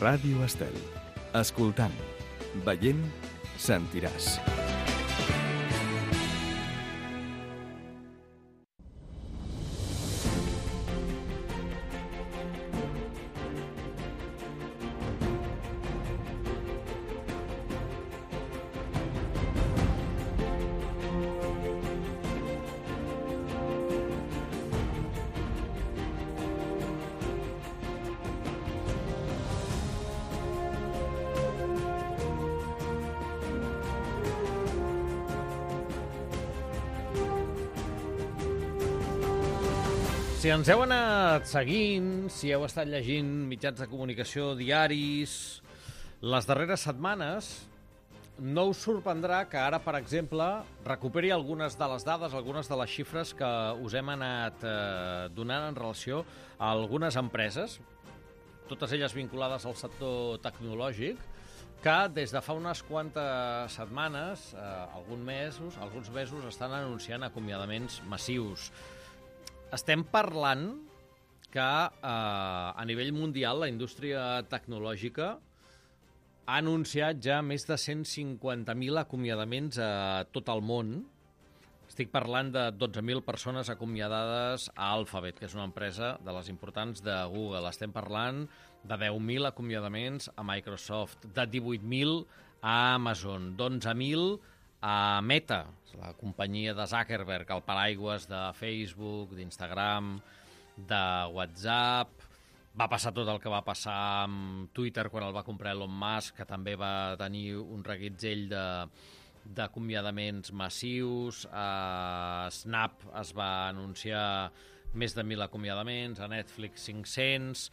Ràdio Estel. Escoltant, veient, sentiràs. Si ens heu anat seguint, si heu estat llegint mitjans de comunicació diaris les darreres setmanes, no us sorprendrà que ara, per exemple, recuperi algunes de les dades, algunes de les xifres que us hem anat donant en relació a algunes empreses, totes elles vinculades al sector tecnològic, que des de fa unes quantes setmanes, alguns mesos, estan anunciant acomiadaments massius. Estem parlant que a nivell mundial la indústria tecnològica ha anunciat ja més de 150.000 acomiadaments a tot el món. Estic parlant de 12.000 persones acomiadades a Alphabet, que és una empresa de les importants de Google. Estem parlant de 10.000 acomiadaments a Microsoft, de 18.000 a Amazon, d'11.000 a Meta, la companyia de Zuckerberg, el paraigües de Facebook, d'Instagram, de WhatsApp. Va passar tot el que va passar amb Twitter quan el va comprar Elon Musk, que també va tenir un reguitzell d'acomiadaments massius. A Snap es va anunciar més de 1.000 acomiadaments, a Netflix 500...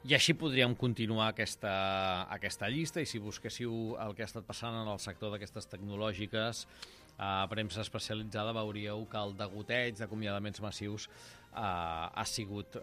I així podríem continuar aquesta llista, i si busquéssiu el que ha estat passant en el sector d'aquestes tecnològiques, a premsa especialitzada veuríeu que el degoteig d'acomiadaments massius ha sigut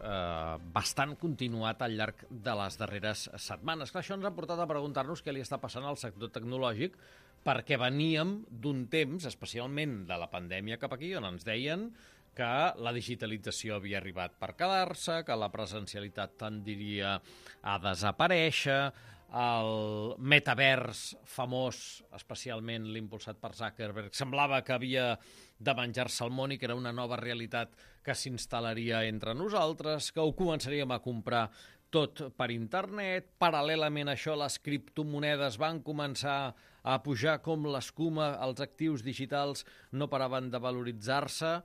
bastant continuat al llarg de les darreres setmanes. Clar, això ens ha portat a preguntar-nos què li està passant al sector tecnològic, perquè veníem d'un temps, especialment de la pandèmia cap aquí, on ens deien que la digitalització havia arribat per quedar-se, que la presencialitat tendiria a desaparèixer, el metavers famós, especialment l'impulsat per Zuckerberg, semblava que havia de menjar-se el món i que era una nova realitat que s'instal·laria entre nosaltres, que ho començaríem a comprar tot per internet. Paral·lelament a això, les criptomonedes van començar a pujar com l'escuma, els actius digitals no paraven de valoritzar-se.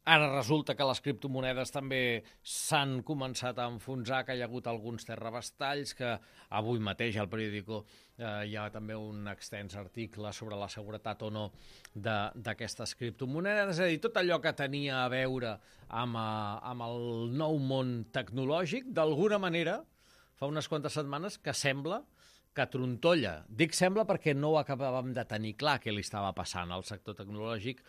Ara resulta que les criptomonedes també s'han començat a enfonsar, que hi ha hagut alguns terrabastalls, que avui mateix al periòdico hi ha també un extens article sobre la seguretat o no d'aquestes criptomonedes. És a dir, tot allò que tenia a veure amb el nou món tecnològic, d'alguna manera, fa unes quantes setmanes que sembla que trontolla. Dic sembla perquè no ho acabàvem de tenir clar què li estava passant al sector tecnològic,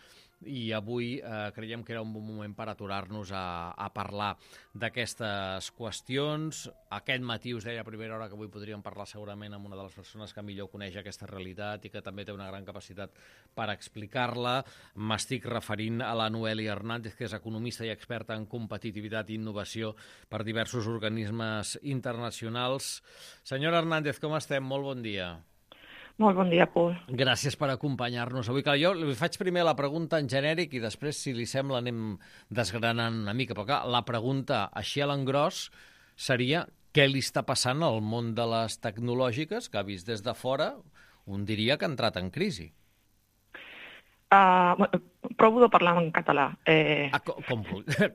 i avui creiem que era un bon moment per aturar-nos a parlar d'aquestes qüestions. Aquest matí us deia a primera hora que avui podríem parlar segurament amb una de les persones que millor coneix aquesta realitat i que també té una gran capacitat per explicar-la. M'estic referint a la Noelia Hernández, que és economista i experta en competitivitat i innovació per diversos organismes internacionals. Senyora Hernández, com estem? Molt bon dia. Molt bon dia, Pol. Gràcies per acompanyar-nos avui. Jo li faig primer la pregunta en genèric i després, si li sembla, anem desgranant una mica. Però clar, la pregunta així a l'engròs seria què li està passant al món de les tecnològiques, que ha vist des de fora, un diria que ha entrat en crisi. Provo de parlar en català.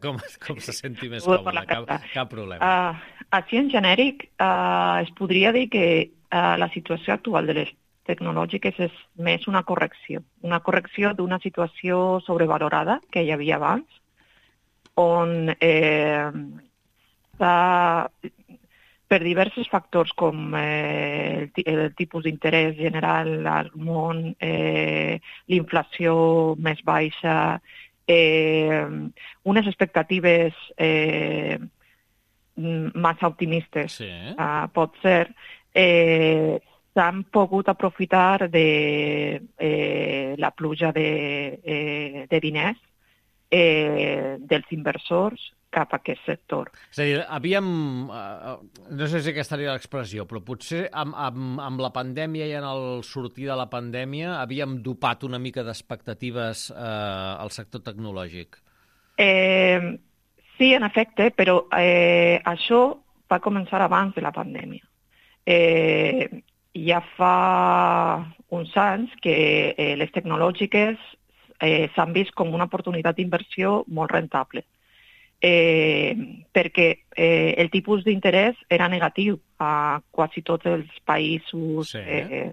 Com se senti més còmode, cap problema. Així en genèric es podria dir que la situació actual de les tecnològiques és més una correcció d'una situació sobrevalorada que hi havia abans, on per diversos factors com el tipus d'interès general al món, l'inflació més baixa, unes expectatives massa optimistes, sí. Pot ser, s'han pogut aprofitar de la pluja de diners dels inversors cap a aquest sector. És a dir, havíem... no sé si aquesta seria l'expressió, però potser amb la pandèmia i en el sortir de la pandèmia havíem dopat una mica d'expectatives al sector tecnològic. Sí, en efecte, però això va començar abans de la pandèmia. Ja fa uns anys que les tecnològiques s'han vist com una oportunitat d'inversió molt rentable, perquè el tipus d'interès era negatiu a quasi tots els països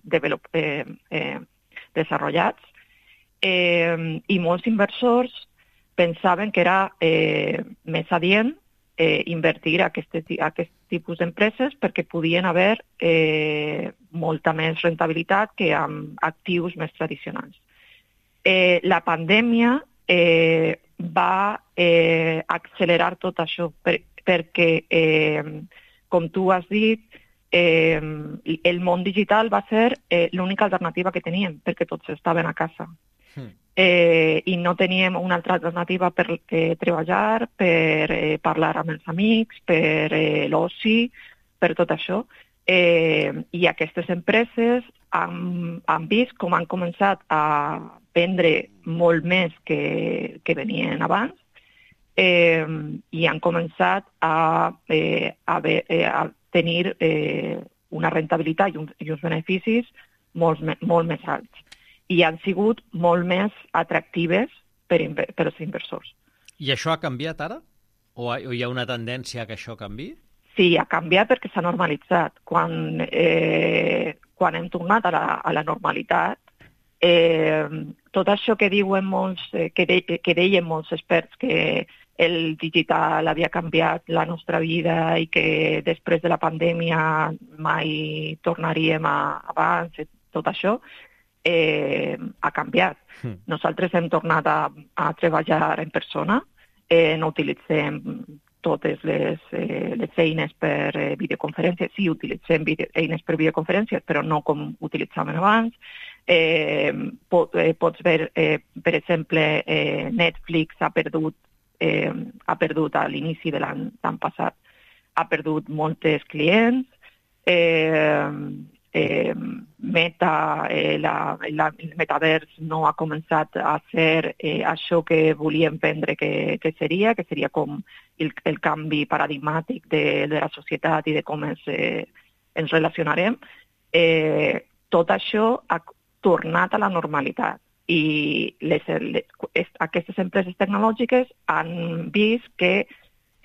desenvolupats, i molts inversors pensaven que era més adient invertir a aquest tipus d'empreses perquè podien haver molta més rentabilitat que amb actius més tradicionals. La pandèmia va accelerar tot això perquè, com tu has dit, el món digital va ser l'única alternativa que teníem perquè tots estaven a casa. I no teníem una altra alternativa per treballar, per parlar amb els amics, per l'oci, per tot això. I aquestes empreses han vist com han començat a vendre molt més que venien abans, i han començat a tenir una rentabilitat i uns beneficis molt més alts. I han sigut molt més atractives per als inversors. I això ha canviat ara? O hi ha una tendència que això canviï? Sí, ha canviat perquè s'ha normalitzat. Quan hem tornat a la normalitat, tot això que diuen que deien molts experts, que el digital havia canviat la nostra vida i que després de la pandèmia mai tornaríem abans, tot això, ha canviat. Nosaltres hem tornat a treballar en persona, no utilitzem totes les eines per videoconferències. Sí, utilitzem eines per videoconferències, però no com utilitzàvem abans. Pots veure, per exemple, Netflix ha perdut a l'inici de l'any passat, ha perdut molts clients. Meta, el metavers no ha començat a ser això que volíem vendre que seria com el canvi paradigmàtic de la societat i de com ens relacionarem. Tot això ha tornat a la normalitat i aquestes empreses tecnològiques han vist que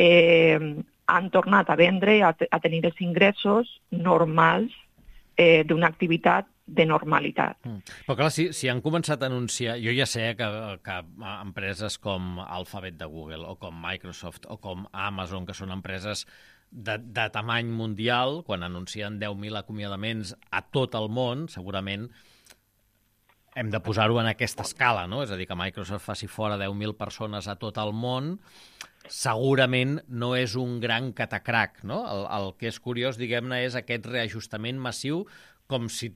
han tornat a vendre, a tenir els ingressos normals d'una activitat de normalitat. Però clar, si han començat a anunciar... Jo ja sé que empreses com Alphabet de Google o com Microsoft o com Amazon, que són empreses de tamany mundial, quan anuncien 10.000 acomiadaments a tot el món, segurament hem de posar-ho en aquesta escala, no? És a dir, que Microsoft faci fora 10.000 persones a tot el món, segurament no és un gran catacrac, no? El que és curiós, diguem-ne, és aquest reajustament massiu, com si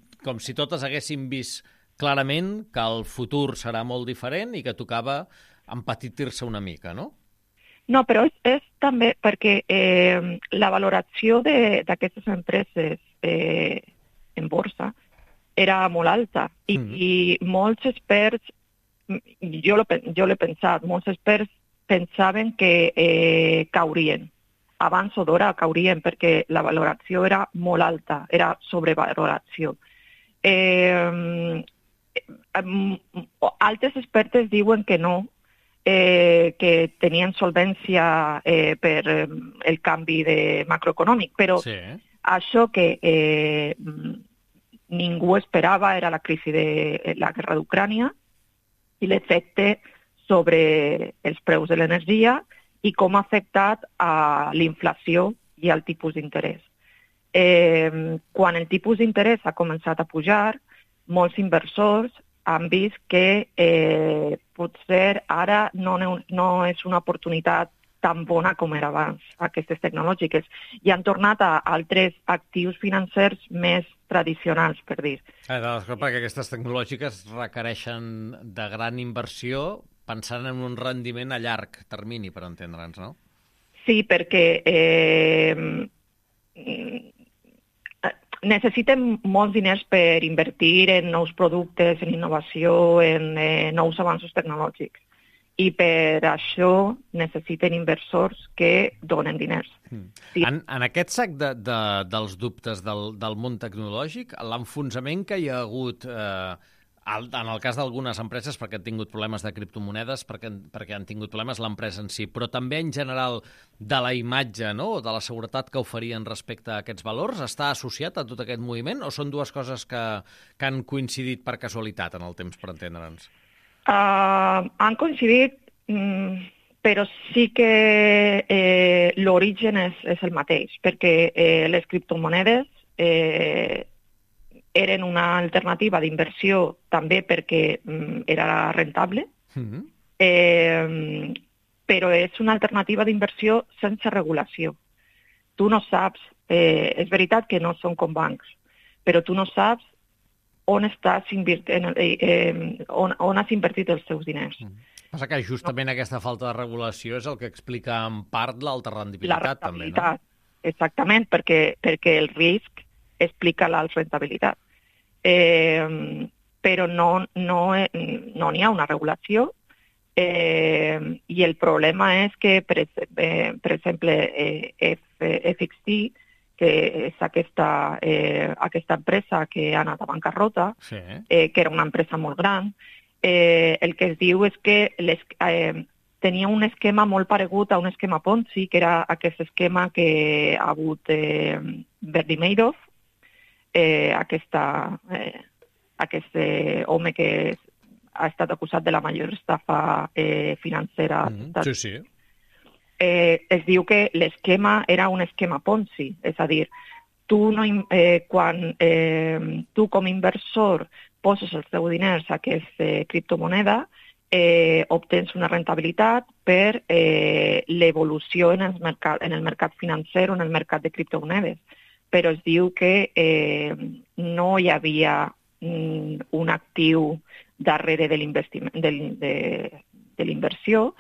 totes haguéssim vist clarament que el futur serà molt diferent i que tocava empetitir-se una mica, no? No, però és també perquè la valoració d'aquestes empreses en borsa era molt alta i molts experts, jo l'he pensat, molts experts pensaven que caurien. Abans o d'hora caurien perquè la valoració era molt alta, era sobrevaloració. Altres expertes diuen que no, que tenien solvència per el canvi macroeconòmic, però això que ningú esperava era la crisi de la guerra d'Ucrània i l'efecte sobre els preus de l'energia i com ha afectat a l'inflació i al tipus d'interès. Quan el tipus d'interès ha començat a pujar, molts inversors han vist que potser ara no és una oportunitat tan bona com era abans, aquestes tecnològiques, i han tornat a altres actius financers més tradicionals, per dir. Perquè aquestes tecnològiques requereixen de gran inversió pensant en un rendiment a llarg termini, per entendre'ns, no? Sí, perquè necessiten molts diners per invertir en nous productes, en innovació, en nous avanços tecnològics. I per això necessiten inversors que donen diners. Sí. En aquest sac dels dubtes del món tecnològic, l'enfonsament que hi ha hagut, en el cas d'algunes empreses, perquè han tingut problemes de criptomonedes, perquè han tingut problemes l'empresa en si, però també en general de la imatge, no?, o de la seguretat que oferien respecte a aquests valors, està associat a tot aquest moviment o són dues coses que han coincidit per casualitat en el temps, per entendre'ns? Han coincidit, però sí que l'origen és el mateix, perquè les criptomonedes eren una alternativa d'inversió també perquè era rentable, però és una alternativa d'inversió sense regulació. Tu no saps, és veritat que no són com bancs, però tu no saps on estàs on has invertit els teus diners. Passa que justament aquesta falta de regulació és el que explica en part l'alta rendibilitat, també, no? Exactament, perquè el risc explica l'alta rendibilitat. Però no n'hi ha una regulació i el problema és que, per exemple, FXT, que és aquesta empresa que ha anat a bancarrota, sí, que era una empresa molt gran, el que es diu és que tenia un esquema molt paregut a un esquema Ponzi, que era aquest esquema que ha hagut Bernie Madoff, aquest home que ha estat acusat de la major estafa financera. Sí, sí. Es diu que l'esquema era un esquema Ponzi, és a dir, quan tu com a inversor poses els teus diners a aquesta criptomoneda, obtens una rentabilitat per l'evolució en el mercat financer o en el mercat de criptomonedes. Però es diu que no hi havia un actiu darrere de l'inversió,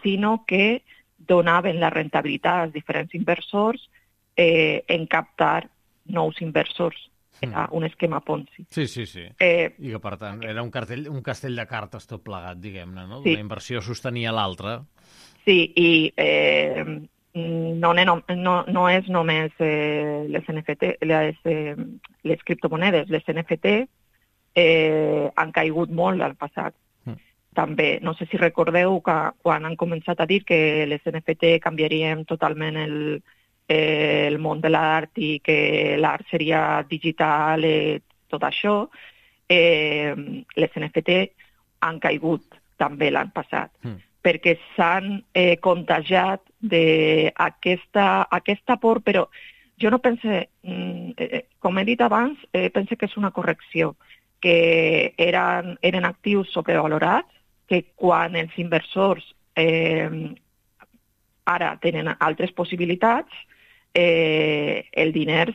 sinó que donaven la rentabilitat als diferents inversors en captar nous inversors. Era un esquema Ponzi. Sí. I que, per tant, era un castell de cartes tot plegat, diguem-ne, no? Sí. Una inversió sostenia l'altra. Sí, i no és només les NFT, les criptomonedes. Les NFT han caigut molt al passat. També, no sé si recordeu que quan han començat a dir que les NFT canviarien totalment el món de l'art i que l'art seria digital, tot això, les NFT han caigut també l'any passat, perquè s'han contagiat d'aquesta por, però jo no pense, com he dit abans, pense que és una correcció, que eren actius sobrevalorats, que quan els inversors ara tenen altres possibilitats, els diners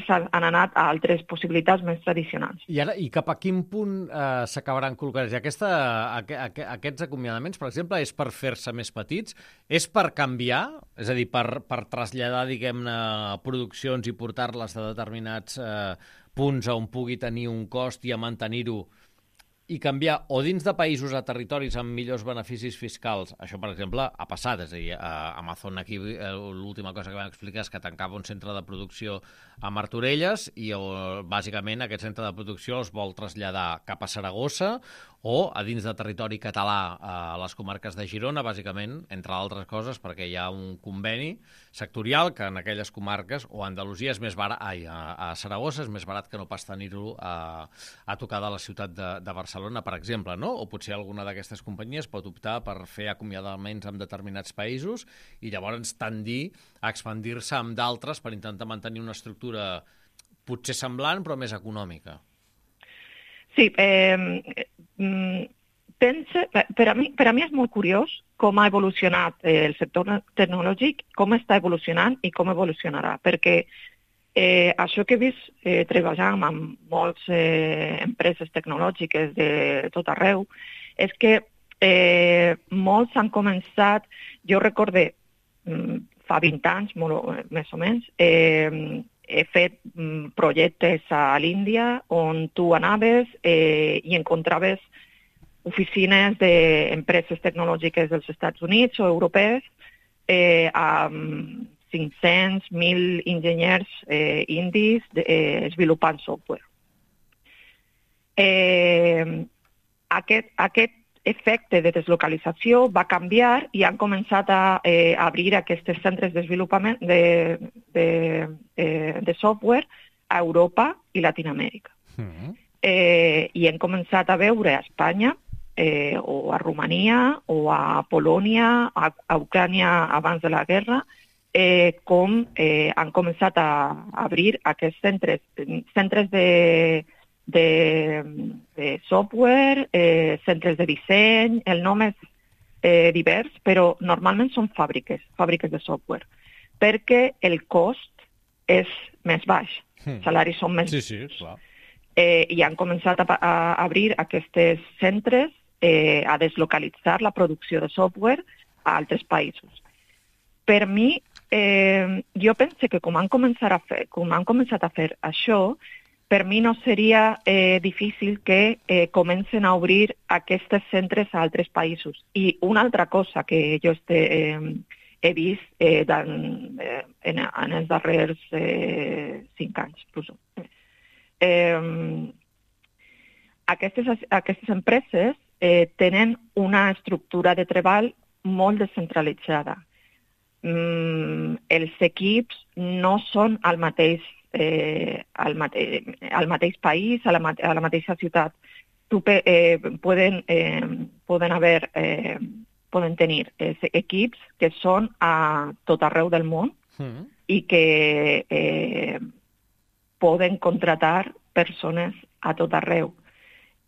han anat a altres possibilitats més tradicionals. I cap a quin punt s'acabaran col·locant? Aquests acomiadaments, per exemple, és per fer-se més petits? És per canviar? És a dir, per traslladar, diguem-ne, produccions i portar-les a determinats punts on pugui tenir un cost i a mantenir-ho i canviar o dins de països a territoris amb millors beneficis fiscals. Això, per exemple, ha passat. És a dir, Amazon aquí l'última cosa que vam explicar és que tancava un centre de producció a Martorelles i bàsicament aquest centre de producció es vol traslladar cap a Saragossa o a dins de territori català a les comarques de Girona, bàsicament, entre altres coses, perquè hi ha un conveni sectorial que en aquelles comarques, o a Andalusia és més barat, a Saragossa és més barat que no pas tenir-lo a tocar de la ciutat de Barcelona, per exemple, no? O potser alguna d'aquestes companyies pot optar per fer acomiadaments en determinats països i llavors tendir a expandir-se amb d'altres per intentar mantenir una estructura potser semblant però més econòmica. Sí, per a mi és molt curiós com ha evolucionat el sector tecnològic, com està evolucionant i com evolucionarà, perquè això que he vist treballant amb moltes empreses tecnològiques de tot arreu és que molts han començat, jo recorde fa 20 anys, més o menys, he fet projectes a l'Índia on tu anaves i encontraves oficines d'empreses tecnològiques dels Estats Units o europees amb 500, 1.000 enginyers indis desenvolupant software. Aquest efecte de deslocalització va canviar i han començat a obrir aquests centres de desenvolupament de software a Europa i Latinoamèrica. I hem començat a veure a Espanya o a Romania o a Polònia, a Ucrània abans de la guerra, com han començat a obrir aquests centres de software, centres de disseny, el nom és divers, però normalment són fàbriques de software, perquè el cost és més baix, els salaris són més baixos. Sí, clar. I han començat a obrir aquests centres a deslocalitzar la producció de software a altres països. Per mi, jo penso que com han començat a fer això, per mi no seria difícil que comencen a obrir aquests centres a altres països. I una altra cosa que jo he vist en els darrers 5 anys. Aquestes empreses tenen una estructura de treball molt descentralitzada. Els equips no són al mateix país, a la mateixa ciutat. Poden tenir equips que són a tot arreu del món i que poden contratar persones a tot arreu.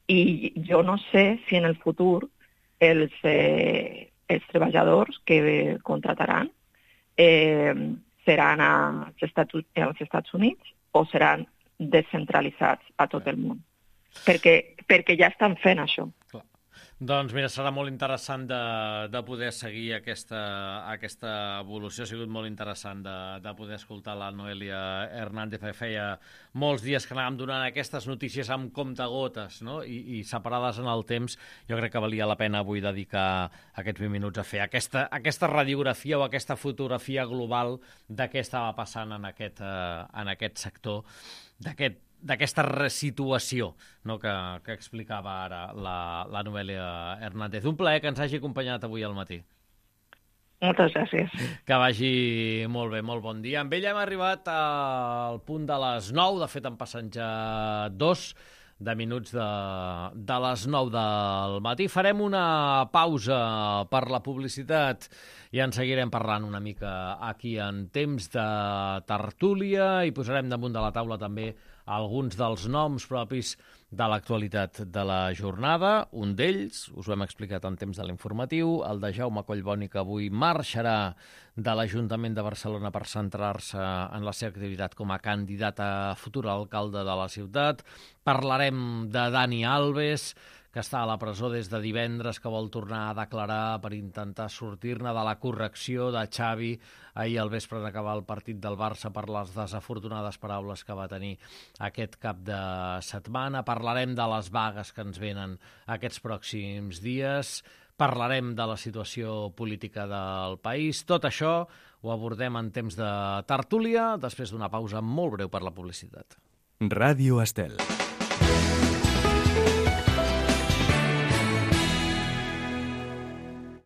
I jo no sé si en el futur els treballadors que contrataran seran als Estats Units o seran descentralitzats a tot el món. Perquè ja estan fent això. Clar. Doncs mira, serà molt interessant de poder seguir aquesta evolució. Ha sigut molt interessant de poder escoltar la Noelia Hernández. Feia molts dies que anàvem donant aquestes notícies amb comptagotes, no? I separades en el temps. Jo crec que valia la pena avui dedicar aquests 20 minuts a fer aquesta radiografia o aquesta fotografia global de què estava passant en aquest sector, d'aquesta resituació, no, que explicava ara la Noelia Hernández. Un plaer que ens hagi acompanyat avui al matí. Moltes gràcies. Que vagi molt bé, molt bon dia. Amb ella hem arribat al punt de les 9, de fet en passen ja 2 minuts de les 9 del matí. Farem una pausa per la publicitat i en seguirem parlant una mica aquí en temps de tertúlia i posarem damunt de la taula també alguns dels noms propis de l'actualitat de la jornada. Un d'ells, us ho hem explicat en temps de l'informatiu, el de Jaume Collboni, que avui marxarà de l'Ajuntament de Barcelona per centrar-se en la seva activitat com a candidat a futur alcalde de la ciutat. Parlarem de Dani Alves, que està a la presó des de divendres, que vol tornar a declarar per intentar sortir-ne de la correcció de Xavi ahir al vespre d'acabar el partit del Barça per les desafortunades paraules que va tenir aquest cap de setmana. Parlarem de les vagues que ens venen aquests pròxims dies. Parlarem de la situació política del país. Tot això ho abordem en temps de tertúlia, després d'una pausa molt breu per la publicitat. Ràdio Estel.